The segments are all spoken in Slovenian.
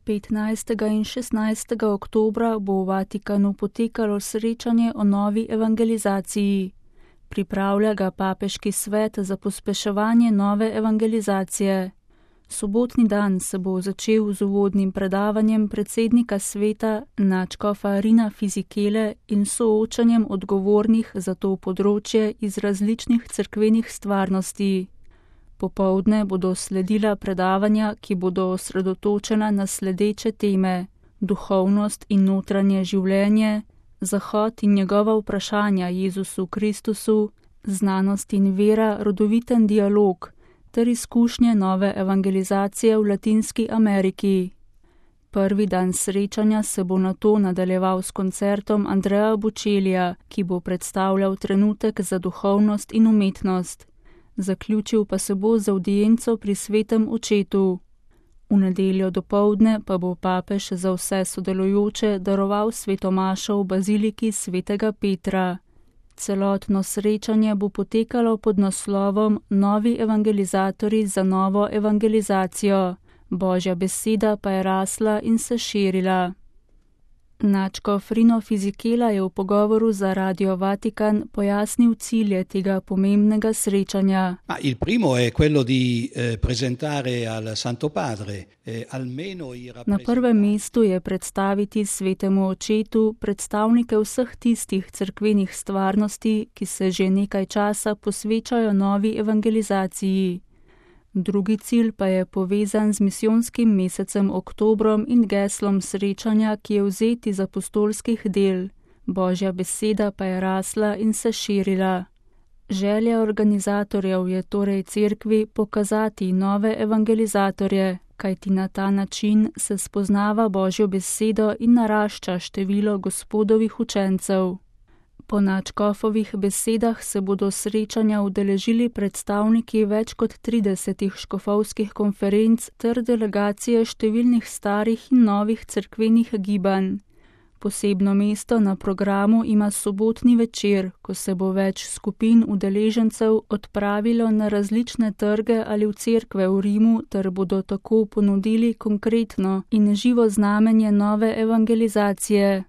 15. in 16. oktobra bo v Vatikanu potekalo srečanje o novi evangelizaciji. Pripravlja ga Papeški svet za pospeševanje nove evangelizacije. Sobotni dan se bo začel z uvodnim predavanjem predsednika sveta nadškofa Rina Fisichele in soočanjem odgovornih za to področje iz različnih cerkvenih stvarnosti. Popoldne bodo sledila predavanja, ki bodo osredotočena na sledeče teme: duhovnost in notranje življenje, Zahod in njegova vprašanja Jezusu Kristusu, znanost in vera, rodoviten dialog ter izkušnje nove evangelizacije v Latinski Ameriki. Prvi dan srečanja se bo nato nadaljeval s koncertom Andrea Bocellija, ki bo predstavljal trenutek za duhovnost in umetnost. Zaključil pa se bo z avdienco pri svetem očetu. V nedeljo dopoldne pa bo papež za vse sodelujoče daroval svetomašo v baziliki svetega Petra. Celotno srečanje bo potekalo pod naslovom Novi evangelizatorji za novo evangelizacijo. Božja beseda pa je rasla in se širila. Nadškof Rino Fisichela je v pogovoru za Radio Vatikan pojasnil cilje tega pomembnega srečanja. Il primo è quello di presentare al Santo Padre almeno i rappresentanti. Na prvem mestu je predstaviti svetemu očetu predstavnike vseh tistih cerkvenih stvarnosti, ki se že nekaj časa posvečajo novi evangelizaciji. Drugi cilj pa je povezan z misijonskim mesecem oktobrom in geslom srečanja, ki je vzet iz apostolskih del. Božja beseda pa je rasla in se širila. Želja organizatorjev je torej cerkvi pokazati nove evangelizatorje, kajti na ta način se spoznava Božjo besedo in narašča število Gospodovih učencev. Po nadškofovih besedah se bodo srečanja udeležili predstavniki več kot 30 škofovskih konferenc ter delegacije številnih starih in novih cerkvenih gibanj. Posebno mesto na programu ima sobotni večer, ko se bo več skupin udeležencev odpravilo na različne trge ali v cerkve v Rimu ter bodo tako ponudili konkretno in živo znamenje nove evangelizacije.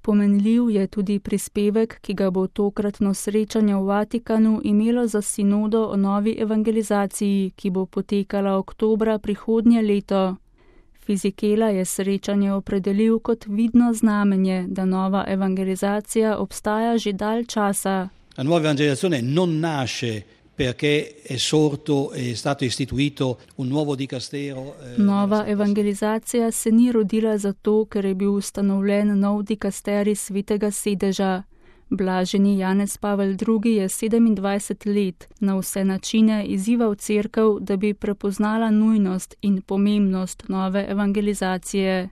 Pomenljiv je tudi prispevek, ki ga bo tokratno srečanje v Vatikanu imelo za sinodo o novi evangelizaciji, ki bo potekala oktobra prihodnje leto. Fisichela je srečanje opredelil kot vidno znamenje, da nova evangelizacija obstaja že dalj časa. La nuova evangelizzazione non nasce perché è stato istituito un nuovo dicastero. Nova evangelizacija se ni rodila zato, ker je bil ustanovljen nov dikasterij svetega sedeža. Blaženi Janez Pavel II je 27 let na vse načine izzival cerkev, da bi prepoznala nujnost in pomembnost nove evangelizacije.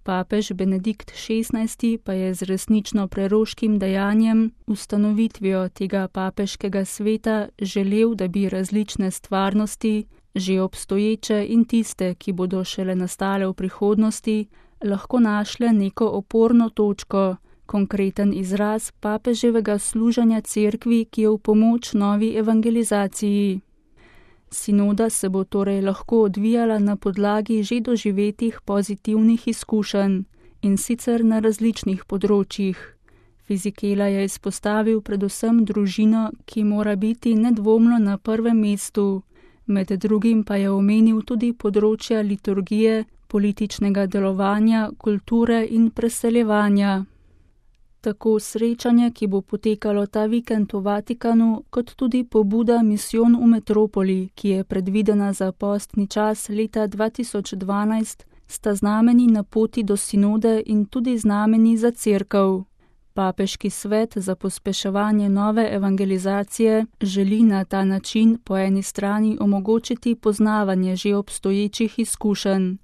Papež Benedikt XVI pa je z resnično preroškim dejanjem, ustanovitvijo tega papeškega sveta, želel, da bi različne stvarnosti, že obstoječe in tiste, ki bodo šele nastale v prihodnosti, lahko našle neko oporno točko, konkreten izraz papeževega služenja cerkvi, ki je v pomoč novi evangelizaciji. Sinoda se bo torej lahko odvijala na podlagi že doživetih pozitivnih izkušenj, in sicer na različnih področjih. Fisichela je izpostavil predvsem družino, ki mora biti nedvomno na prvem mestu, med drugim pa je omenil tudi področja liturgije, političnega delovanja, kulture in preseljevanja. Tako srečanje, ki bo potekalo ta vikend v Vatikanu, kot tudi pobuda Misijon v metropoli, ki je predvidena za postni čas leta 2012, sta znameni na poti do sinode in tudi znameni za cerkev. Papeški svet za pospeševanje nove evangelizacije želi na ta način po eni strani omogočiti poznavanje že obstoječih izkušenj.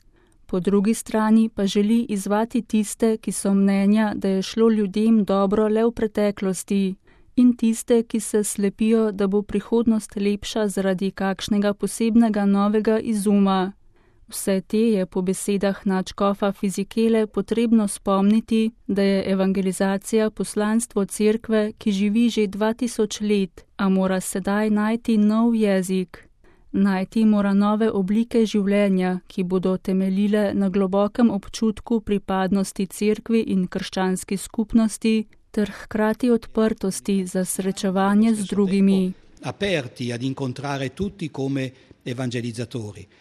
Po drugi strani pa želi izzvati tiste, ki so mnenja, da je šlo ljudem dobro le v preteklosti, in tiste, ki se slepijo, da bo prihodnost lepša zaradi kakšnega posebnega novega izuma. Vse te je po besedah nadškofa Fisichele potrebno spomniti, da je evangelizacija poslanstvo cerkve, ki živi že 2000 let, a mora sedaj najti nov jezik. Najti mora nove oblike življenja, ki bodo temeljile na globokem občutku pripadnosti cerkvi in krščanski skupnosti ter hkrati odprtosti za srečevanje z drugimi. Aperti ad incontrare tutti come evangelizzatori.